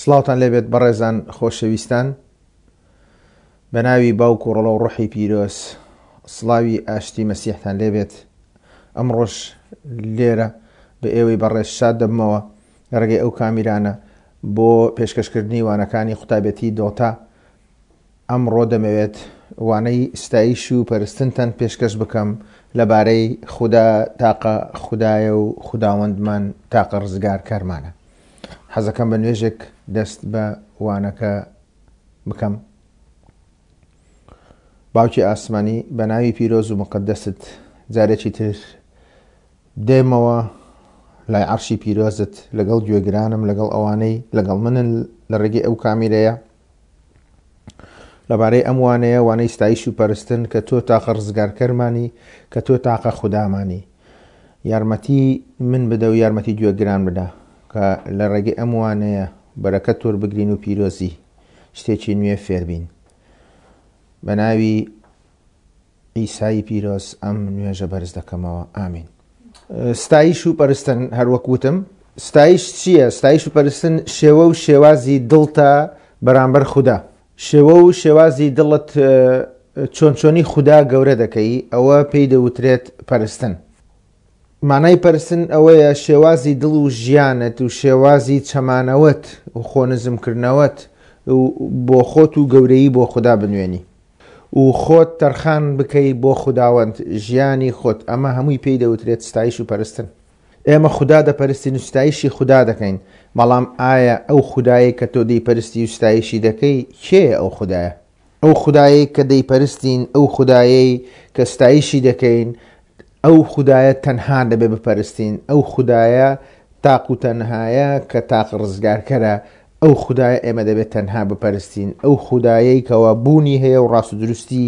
سڵاوتان لێبێت بەڕێزان خۆشەویستان بە ناوی باوک و ڕۆڵە و ڕۆحی پیرۆز سڵاوی ئاشتی مەسیحتان لێبێت ئەمڕۆش لێرە بە ئێوەی بەڕێز شاد دەبمەوە لە ڕێگەی ئەو کامیرانە بۆ پێشکەشکردنی وانەکانی قوتابێتی دۆتا ئەمڕۆ دەمەوێت وانەی ستایش و پەرستنتان پێشکەش بکەم لەبارەی خودا تاقە خودایە و خوداوەندمان تاقە ڕزگارکەرمانە. حەزەکەم بە نوێژێک دەست بە وانەکە بکەم. باوکی ئاسمانی بە ناوی پیرۆز و مقدست جارێکی تر دێمەوە لای عەرشی پیرۆزت لەگەڵ گوێگرانم لەگەڵ ئەوانەی لەگەڵ منن لە ڕێگەی ئەو کامیرەیە لەبارەی ئەم وانەیە وانەی ستایش و پەرستن کە تۆ تاقە ڕزگارکەرمانی کە تۆ تاقە خودامانی یارمەتی من بدە و یارمەتی گوێگران بدە کە لە ڕێگەی ئەم وانەیە بەرەکەت وەربگرین و پیرۆزی شتێکی نوێ فێربین بە ناوی عیسای پیرۆز ئەم نوێژە بەرز دەکەمەوە ئامین. ستایش و پەرستن هەروەک وتم ستایش چییە؟ ستایش و پەرستن شێوە و شێوازی دڵتە بەرامبەر خودا شێوە و شێوازی دڵت چۆن چۆنی خودا گەورە دەکەی ئەوە پێی دەوترێت پەرستن مانای پەرستن ئەوەیە شێوازی دڵ و ژیانت و شێوازی چەمانەوەت و خۆنزمکردنەوەت و بۆ خۆت و گەورەیی بۆ خودا بنوێنی و خۆت تەرخان بکەی بۆ خوداوەند ژیانی خۆت ئەمە هەمووی پێی دەوترێت ستایش و پەرستن ئێمە خودا دەپەرستین و ستایشی خودا دەکەین بەڵام ئایا ئەو خودایەی کە تۆ دەیپەرستی و ستایشی دەکەی کێیە ئەو خودایە؟ ئەو خودایەی کە دەیپەرستین ئەو خودایەی کە ستایشی دەکەین ئەو خودایە تەنها دەبێ بپەرستین، ئەو خودایە تاق و تەنهایە کە تاقە ڕزگارکەرە، ئەو خودایە ئێمە دەبێت تەنها بپەرستین، ئەو خودایەی کەوا بوونی هەیە و ڕاست و دروستی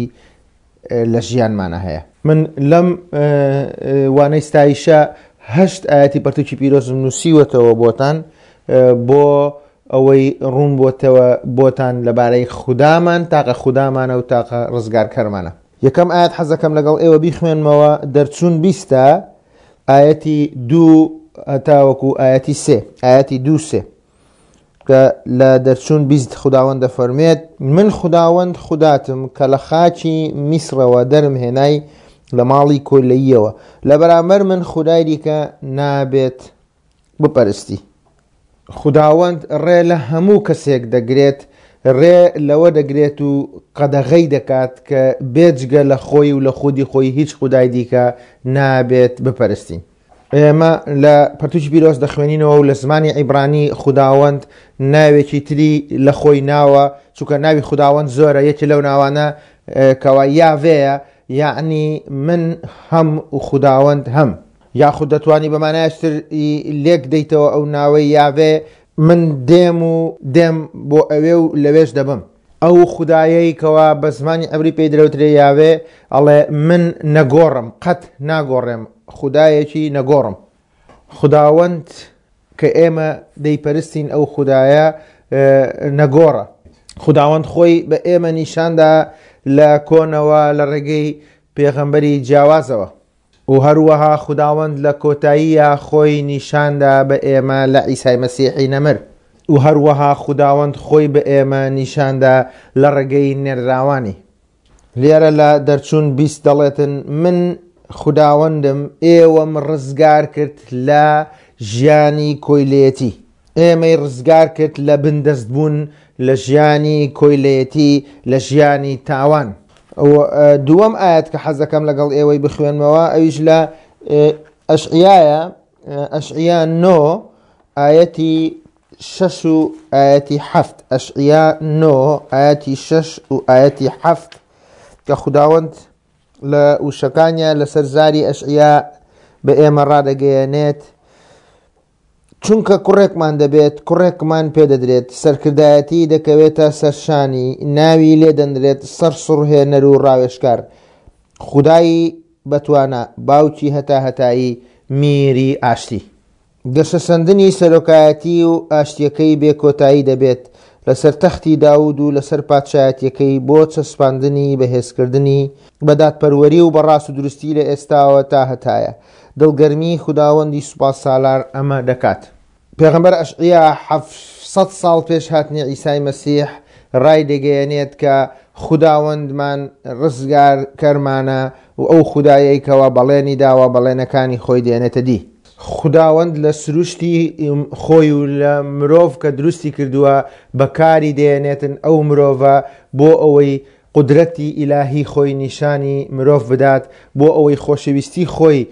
لە ژیانمانە هەیە. من لەم وانەی ستایشە هەشت ئایەتی پەرتوکی پیرۆزم نووسیوەتەوە بۆتان بۆ ئەوەی ڕوون بۆتەوە بۆتان لەبارەی خودامان تاقە خودامانە و تاقە ڕزگارکەرمانە. یەکەم ئایەت حەزەکەم لەگەڵ ئێوە بیخوێنمەوە دەرچوون بیستە ئایەتی دوو هەتاوەکو ئایەتی سێ ئایەتی دوو سێ کە لە دەرچوون 20 خداوەند دەفەرمێت من خداوەند خوداتم کە لە خاکی میسرەوە دەرم هێنای لە ماڵی کۆیلەییەوە لە بەرامبەر من خودای دیکە نابێت بپەرستی. خوداوەند ڕێ لە هەموو کەسێک دەگرێت، ڕێ لەوە دەگرێت و قەدەغەی دەکات کە بێجگە لە خۆی و لە خودی خۆی هیچ خودای دیکە نابێت بپەرستین. ئێمە لە پەرتوکی پیرۆز دەخوێنینەوە و لە زمانی عیبرانی خوداوەند ناوێکی تری لە خۆی ناوە، چونکە ناوی خوداوەند زۆرە، یەکێ لەو ناوانە کەوا یاڤێیە، یەعنی من هەم و خوداوەند هەم. یاخود دەتوانی بە مانایەکی تر لێک دەیتەوە ئەو ناوەی یاڤێ، من دێم و دێم بۆ ئەوێ و لەوێش دەبم. ئەو خودایەی کەوا بە زمانی عبری پێی درەوترێ یاڤێ ئەڵێ من نەگۆڕم، قەت ناگۆڕێم، خودایەکی نەگۆڕم. خوداوەند کە ئێمە دەیپەرستین ئەو خودایە نەگۆڕە. خوداوەند خۆی بە ئێمە نیشاندا لە کۆنەوە لە ڕێگەی پێغەمبەری جیاوازەوە. و هەروەها خوداوەند لە کۆتاییا خۆی نیشاندا بە ئێمە لە عیسای مەسیحی نەمر. و هەروەها خوداوەند خۆی بە ئێمە نیشاندا لە ڕێگەی نێردراوانی. لێرە لە دەرچوون 20 دەڵێتن، من خوداوەندم ئێوەم ڕزگار کرد لە ژیانی کۆیلەیەتی. ئێمەی ڕزگار کرد لە بندەست بوون لە ژیانی کۆیلەیەتی لە ژیانی تاوان. دووەم ئاەت کە حەزەکەم لەگەڵ ئێوەی بخوێنمەوە ئەویش لە ئەشعیایە ئەشعیا نۆ ئاەتی شەش و ئاەتی حەفت ئەشعیا نۆ ئاەتی شەش و ئاەتی حەفت کە خوداوەند لە وشەکانیان لەسەر زاری ئەشعیا بە ئێمە ڕادەگەیەنێت چونکە کوڕێکمان دەبێت، کوڕێکمان پێدەدرێت، سەرکردایەتی دەکەوێتە سەر شانی، ناوی لێ دەنرێت سەرسوڕهێنەر و ڕاوێژکار، خودای بەتوانا، باوکی هەتاهەتایی، میری ئاشتی. گەشەسەندنی سەرۆکایەتی و ئاشتییەکەی بێ کۆتایی دەبێت، لەسەر تەختی داود و لەسەر پادشایەتییەکەی بۆ چەسپاندنی، بەهێزکردنی، بە دادپەروەری و بە ڕاستودروستی لە ئێستاوە تا هەتایە. دڵگەرمیی خوداوەندی سوپاسالار ئەمە دەکات. پێغەمبەر ئەشعیا سەد ساڵ پێش هاتنی عیسای مەسیح ڕایدەگەیەنێت کە خوداوەندمان ڕزگارکەرمانە و ئەو خودایەی کەوا بەڵێنی داوە بەڵێنەکانی خۆی دێنێتە دی. خوداوەند لە سروشتی خۆی و لە مرۆڤ کە دروستی کردووە بەکاری دێنێتن ئەو مرۆڤە بۆ ئەوەی قودرەتی ئیلاهی خۆی نیشانی مرۆڤ بدات، بۆ ئەوەی خۆشەویستی خۆی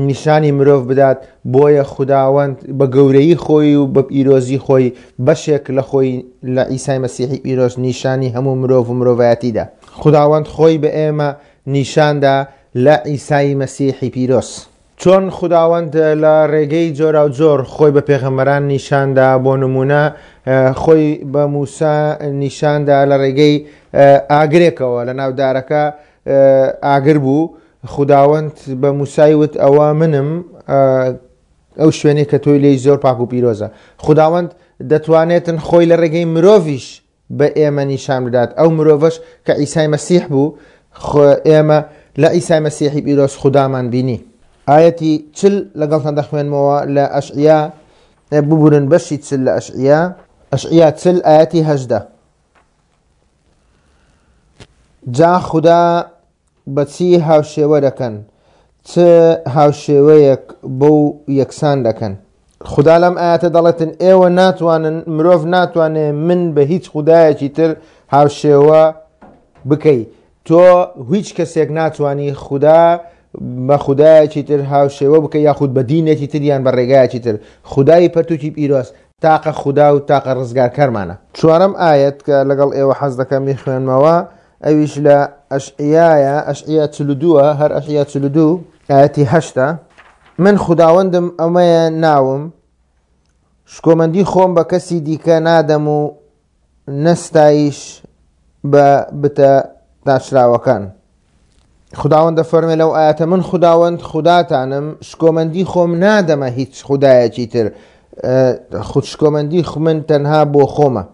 نیشانی مرۆڤ بدات، بۆیە خوداوەند بە گەورەیی خۆی و بە پیرۆزی خۆی بەشێک لە خۆی لە عیسای مەسیحی پیرۆز نیشانی هەموو مرۆڤ و مرۆڤایەتی دا. خوداوەند خۆی بە ئێمە نیشاندا لە عیسای مەسیحی پیرۆز. چۆن خوداوەند لە ڕێگەی جۆراوجۆر خۆی بە پێغەمبەران نیشاندا، بۆ نموونە خۆی بە موسا نیشاندا لە ڕێگەی ئاگرێکەوە، لە ناو دارەکە ئاگر بوو، خوداوەند بە موسای وت ئەوە منم ئەو شوێنەی کە تۆی لێی زۆر پاک و پیرۆزە. خوداوەند دەتوانێتن خۆی لە ڕێگەی مرۆڤیش بە ئێمە نیشان بدات، ئەو مرۆڤەش کە عیسای مەسیح بوو، ئێمە لە عیسای مەسیحی پیرۆز خودامان بینی. ئایەتی چل لەگەڵتان دەخوێنمەوە لە ئەشعیا، ببورن بەشی چل لە ئەشعیا، ئەشعیا چل ئایەتی هەژدە. جا خودا بە چی هاوشێوە دەکەن؟ چ هاوشێوەیەک بەو یەکسان دەکەن؟ خودا لەم ئایەتە دەڵێتن ئێوە ناتوانن، مرۆڤ ناتوانێ من بە هیچ خودایەکی تر هاوشێوە بکەی. تۆ هیچ کەسێک ناتوانی خودا بە خودایەکی تر هاوشێوە بکەی یاخود بە دینێکی تر یان بە ڕێگایەکی تر. خودای پەرتوکی پیرۆز تاقە خودا و تاقە ڕزگارکەرمانە. چوارەم ئایەت کە لەگەڵ ئێوە حەز دەکەم بیخوێنمەوە ئەویش لە ئەشعیایە، ئەشعیا 42ە، هەر ئەشعیا 42 ئایەتی هەشتە. من خوداوەندم ئەمەیە ناوم، شکۆمەندی خۆم بە کەسی دیکە نادەم و نە ستایش بە بتە تاشراوەکان. خوداوەند دەفەرمێ لەو ئایەتە من خوداوەند خوداتانم شکۆمەندی خۆم نادەمە هیچ خودایەکی تر، خود شکۆمەندی من تەنها بۆ خۆمە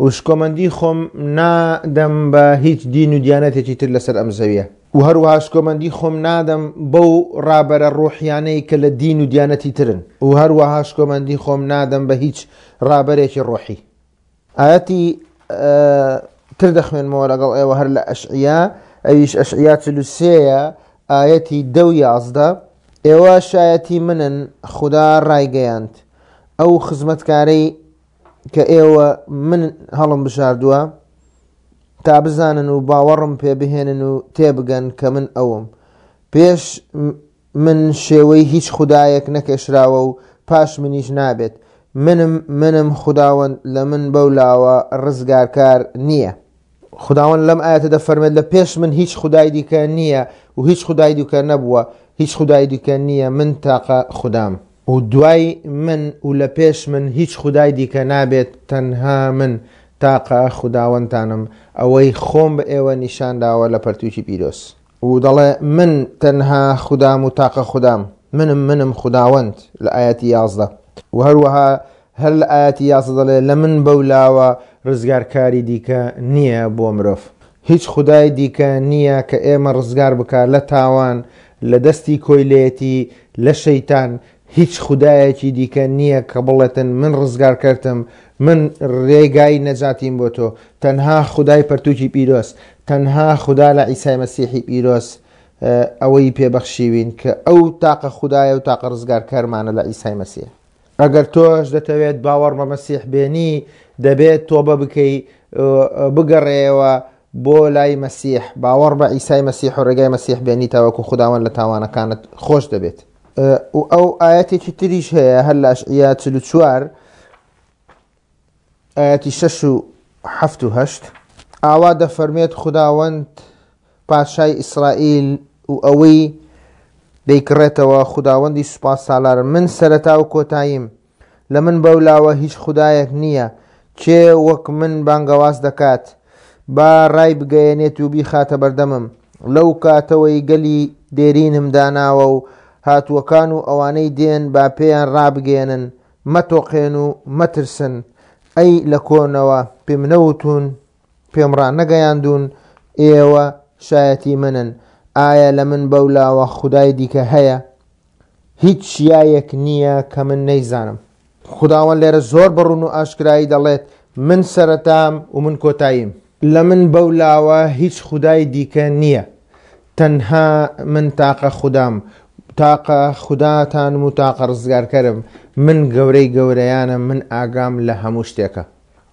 و شکۆمەندی خۆم نادەم بە هیچ دین و دیانەتێکی تر لەسەر ئەم زەویە و هەروەها شکۆمەندی خۆم نادەم بەو ڕابەرە ڕۆحیانەی کە لە دین و دیانەتی ترن و هەروەها شکۆمەندی خۆم نادەم بە هیچ ڕابەرێکی ڕۆحی. ئایەتی تر دەخوێنمەوە لەگەڵ ئێوە هەر لە ئەشعیا، ئەویش ئەشعیا 43یە ئایەتی دە و 11. ئێوە شایەتی منن، خودا ڕایگەیاند، ئەو خزمەتکارەی کە ئێوە من هەڵم بژاردووە تا بزانن و باوەڕم پێ بهێنن و تێبگەن کە من ئەوم. پێش من شێوەی هیچ خودایەک نەکێشراوە و پاش منیش نابێت. منم، منم خوداوەند، لە من بەولاوە ڕزگارکار نییە. خوداوەند لەم ئایەتە دەفەرمێت لە پێش من هیچ خودای دیکە نییە و هیچ خودای دیکە نەبووە، هیچ خودای دیکە نییە، من تاقە خودام. و دوای من و لە پێش من هیچ خودای دیکە نابێت، تەنها من تاقە خوداوەندتانم، ئەوەی خۆم بە ئێوە نیشان داوە لە پەرتووکی پیرۆز. و دەڵێ من تەنها خودام و تاقە خودام، منم منم خوداوەند لە ئایەتی 11. و هەروەها هەر لە ئایەتی 11 دەڵێ لە من بەولاوە ڕزگارکاری دیکە نییە بۆ مرۆڤ. هیچ خودای دیکە نییە کە ئێمە ڕزگار بکا لە تاوان، لە دەستی کۆیلەیەتی، لە شەیتان، هیچ خودایەکی دیکە نییە کە بڵێتن من ڕزگارکەرتم، من ڕێگای نەجاتیم بۆ تۆ، تەنها خودای پەرتوکی پیرۆز، تەنها خودا لە عیسای مەسیحی پیرۆز ئەوەی پێ بەخشیوین کە ئەو تاقە خودایە و تاقە ڕزگارکەرمانە لە عیسای مەسیح. ئەگەر تۆش دەتەوێت باوەڕ بە مەسیح بێنی، دەبێت تۆبە بکەی، بگەڕێیەوە بۆ لای مەسیح، باوەڕ بە عیسای مەسیح و ڕێگای مەسیح بێنی تاوەکو خوداوەند لە تاوانەکانت خۆش دەبێت. و ئەو ئایەتێکی تریش هەیە هەر لە ئەشعیا 44 ئایەتی 6 و 7 و 8 ئاوا دەفەرمێت خوداوەند پادشای ئیسرائیل و ئەوەی دەیکڕێتەوە خوداوەندی سوپاس سالار من سەرەتا و کۆتاییم لە من بەولاوە هیچ خودایەک نییە. کێ وەک من بانگەواز دەکات؟ با ڕایبگەیەنێت و بیخاتە بەردەمم. لەو کاتەوەی گەلی دێرینم داناوە و هاتووەکان و ئەوانەی دێن با پێیان ڕابگەیەنن، مەتۆقێن و مەترسن. ئەی لە کۆنەوە پێم نەوتوون، پێم ڕانەگەیاندوون، ئێوە شایەتی منن. ئایا لە من بەولاوە خودای دیکە هەیە؟ هیچ چیایەک نییە کە من نەیزانم. خوداوەند لێرە زۆر بە ڕوون و ئاشکرایی دەڵێت من سەرەتام و من کۆتاییم. لە من بەو لاوە هیچ خودای دیکە نییە. تەنها من تاقە خودام، تاقە خوداتانم و تاقە ڕزگارکەرم. من گەورەی گەورەیانم، من ئاگام لە هەموو شتێکە.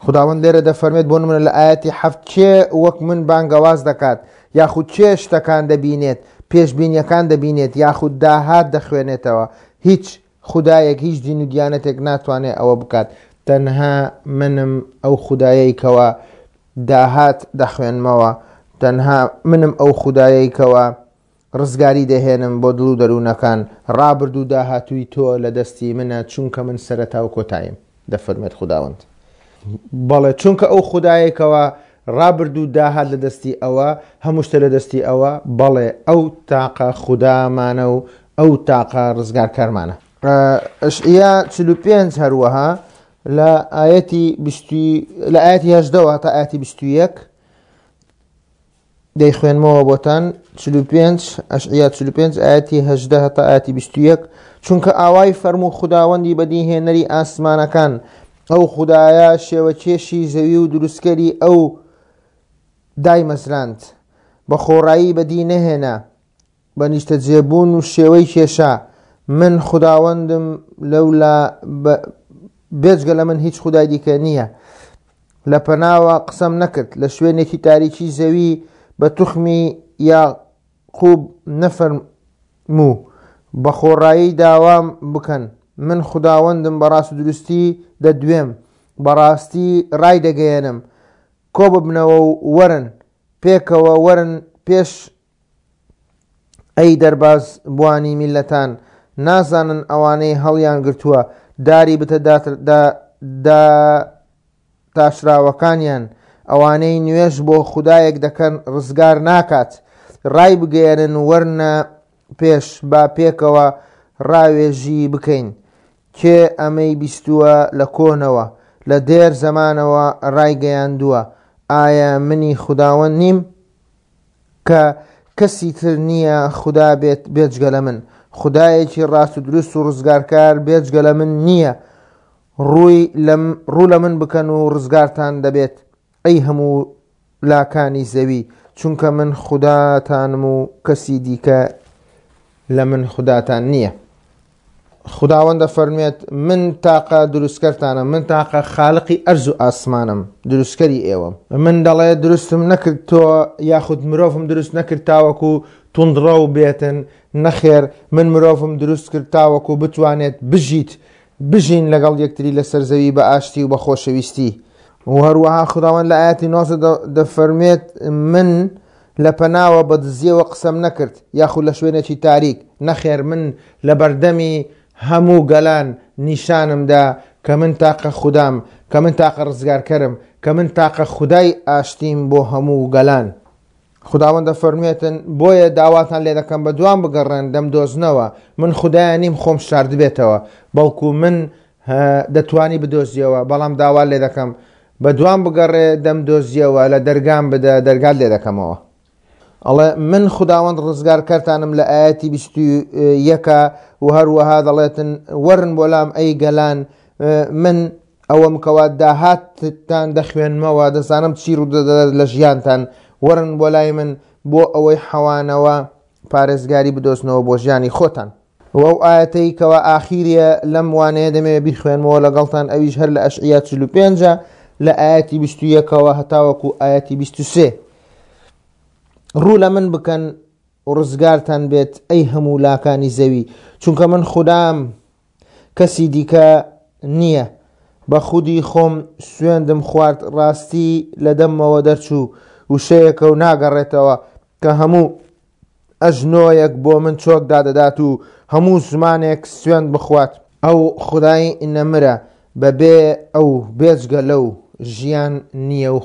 خوداوەند لێرە دەفەرمێت بۆ نمونە لە ئایەتی حەفت کێ وەک من بانگەواز دەکات یاخود کێ شتەکان دەبینێت پێشبینیەکان دەبینێت یاخود داهات دەخوێنێتەوە هیچ خودایەک هیچ دین و دیانەتێک ناتوانێت ئەوە بکات تەنها منم ئەو خودایەی کەوا داهات دەخوێنمەوە تەنها منم ئەو خودایەی کەوا ڕزگاری دەهێنم بۆ دڵ و دەروونەکان، ڕابردوو و داهاتووی تۆ لە دەستی منە، چونکە من سەرەتا و کۆتاییم، دەفەرموێت خوداوەند. بەڵێ، چونکە ئەو خودایەی کەوا ڕابردوو و داهات لە دەستی ئەوە، هەموو شتێ لە دەستی ئەوە، بەڵێ، ئەو تاقە خودامانە و ئەو تاقە ڕزگارکەرمانە. ئەشعیا 45 هەروەها لە ئایەتی بیست لە ئایەتی هەژدەوە تا ئایەتی 21 دەیخوێنمەوە بۆتان 45 ئەشعیا 45 ئاەتی 18 هەتا ئاەتی 21 چونکە ئاوای فەرموو خوداوەندی بەدیهێنەری ئاسمانەکان ئەو خودایە شێوەکێشی زەوی و دروستکەری ئەو دایمەزراند بە خۆڕایی بەدی نەهێنا بە نیشتەجێبوون و شێوەی کێشا، من خوداوەندم لەولا بێجگە لە من هیچ خودای دیکە نییە. لە پەناوە قسەم نەکرد، لە شوێنێکی تاریکی زەوی بە توخمی یاقوب نەفەرموو، بە خۆڕایی داوام بکەن، من خوداوەندم بە ڕاستودروستی دەدوێم، بە ڕاستی ڕایدەگەیەنم. کۆببنەوە و وەرن، پێکەوە وەرن پێش ئەی دەرباز بوانی میللەتان، نازانن ئەوانەی هەڵیان گرتووە داری بتە داتاشراوەکانیان، ئەوانەی نوێژ بۆ خودایەک دەکەن ڕزگار ناکات، ڕایبگەیەنن وەرنە پێش با پێکەوە ڕاوێژی بکەین، کێ ئەمەی بیستووە لە کۆنەوە، لە دێر زەمانەوە ڕایگەیاندووە، ئایا منی خوداوەند نیم؟ کە کەسی تر نییە خودا بێت بێجگە لە من، خودایەکی ڕاست و دروست و ڕزگارکار بێجگە لە من نییە، ڕووی لە ڕوو لە من بکەن و ڕزگارتان دەبێت، ئەی هەموو لاکانی زەوی، چونکە من خوداتانم و کەسی دیکە لە من خوداتان نییە. خوداوەند دەفەرموێت، من تاقە دروستکەرتانم، من تاقە خالقی ئەرز و ئاسمانم، دروستکەری ئێوەم. من دەڵێ دروستم نەکرد تۆ یاخود مرۆڤم دروست نەکرد تاوەکو توندڕەو بێتن، نەخێر من مرۆڤم دروست کرد تاوەکو بتوانێت بژیت، بژین لەگەڵ یەکتری لەسەر زەوی بە ئاشتی و بە خۆشەویستی. و هەروەها خوداوەند لە ئایەتی 19 دەفەرموێت، من لە پەناوە بە دزیەوە قسەم نەکرد، یاخود لە شوێنێکی تاریک، نەخێر من لە بەردەمی هەموو گەلان نیشانم دا کە من تاقە خودام، کە من تاقە ڕزگارکەرم، کە من تاقە خودای ئاشتیم بۆ هەموو گەلان. خوداوەند دەفەرموێتن، بۆیە داواتان لێ دەکەم بە دوام بگەڕێن دەمدۆزنەوە، من خودایە نیم خۆم شاردبێتەوە، بەڵکو من دەتوانی بدۆزیەوە، بەڵام داوات لێ دەکەم بە دوام بگەڕێ دەمدۆزیەوە، لە دەرگام بدە دەرگات لێ دەکەمەوە. ئەڵێ من خوداوەند ڕزگارکەرتانم لە ئایەتی 21 و هەروەها دەڵێتن وەرن بۆ لام ئەی گەلان من ئەوەم کەوا داهاتتان دەخوێنمەوە دەزانم چی ڕوودەدات لە ژیانتان وەرن بۆ لای من بۆ ئەوەی حەوانەوە پارێزگاری بدۆزنەوە بۆ ژیانی خۆتان. وە ئەو ئایەتەی کەوا ئاخیریە لەم وانەیە دەمەوێ بیخوێنمەوە لەگەڵتان ئەویش هەر لە ئەشعیا 45 لە ئایەتی 21ەوە هەتاوەکو ئایەتی 23 ڕوو لە من بکەن و ڕزگارتان بێت ئەی هەموو لاکانی زەوی چونکە من خودام کەسی دیکە نییە بە خودی خۆم سوێندم خوارد ڕاستی لە دەممەوە دەرچوو وشەیەکە و ناگەڕێتەوە کە هەموو ئەژنۆیەک بۆ من چۆک دادەدات و هەموو زمانێک سوێند بخوات. ئەو خودای نەمرە، بەبێ ئەو بێجگە لەو ژیان نییە و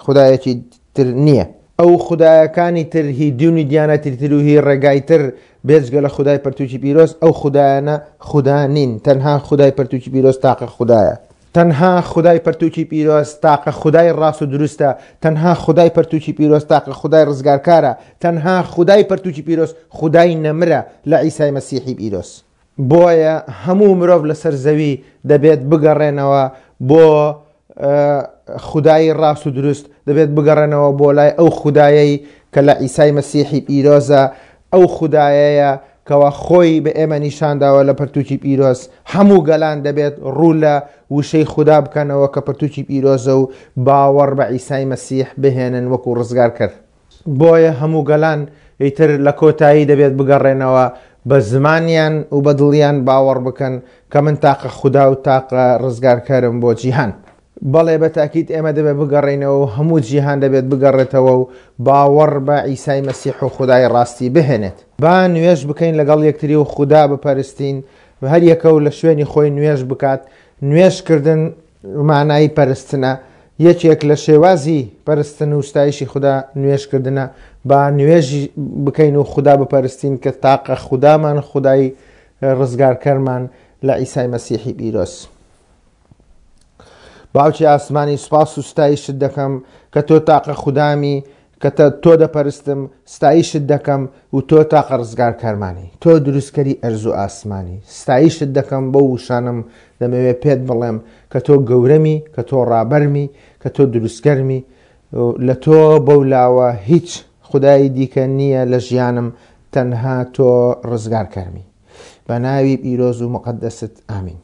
خودایەکی تر نییە. ئەو خودایەکانی تر هی دین و دیانەتی تر و هی ڕێگای تر بێجگە لە خودای پەرتووکی پیرۆز، ئەو خودایانە خودا نین، تەنها خودای پەرتووکی پیرۆز تاقە خودایە. تەنها خودای پەرتوکی پیرۆز تاقە خودای ڕاست و دروستە، تەنها خودای پەرتوکی پیرۆز تاقە خودای ڕزگارکارە، تەنها خودای پەرتوکی پیرۆز خودای نەمرە لە عیسای مەسیحی پیرۆز. بۆیە هەموو مرۆڤ لەسەر زەوی دەبێت بگەڕێنەوە بۆ خودایی ڕاست و دروست، دەبێت بگەڕێنەوە بۆ لای ئەو خودایەی کە لە عیسای مەسیحی پیرۆزە، ئەو خودایەیە کەوا خۆی بە ئێمە نیشانداوە لە پەرتوکی پیرۆز. هەموو گەلان دەبێت ڕوو لە وشەی خودا بکەنەوە کە پەرتوکی پیرۆزە و باوەڕ بە عیسای مەسیح بهێنن وەکو ڕزگارکەر. بۆیە هەموو گەلان ئیتر لە کۆتایی دەبێت بگەڕێنەوە بە زمانیان و بە دڵیان باوەڕ بکەن کە من تاقە خودا و تاقە ڕزگارکەرم بۆ جیهان. بەڵێ بە تاکید ئێمە دەبێت بگەڕێینەوە و هەموو جیهان دەبێت بگەڕێتەوە و باوەڕ بە عیسای مەسیح و خودای ڕاستی بهێنێت. با نوێژ بکەین لەگەڵ یەکتری و خودا بپەرستین، هەر یەکە و لە شوێنی خۆی نوێژ بکات. نوێژ کردن مانای پەرستنە، یەکێک لە شێوازی پەرستن و ستایشی خودا نوێژکردنە، با نوێژ بکەین و خودا بپەرستین کە تاقە خودامان خودای ڕزگارکەرمان لە عیسای مەسیحی پیرۆز. باوکی ئاسمانی سوپاس و ستایشت دەکەم کە تۆ تاقە خودامی کە تۆ دەپەرستم ستایشت دەکەم و تۆ تاقە ڕزگارکەرمانی تۆ دروستکەری ئەرز و ئاسمانی ستایشت دەکەم بەو وشانەم دەمەوێت پێت بڵێم کە تۆ گەورەمی کە تۆ ڕابەرمی کە تۆ دروستکەرمی لە تۆ بەو لاوە هیچ خودای دیکە نییە لە ژیانم تەنها تۆ ڕزگارکەرمی بە ناوی پیرۆز و مقدست ئامین.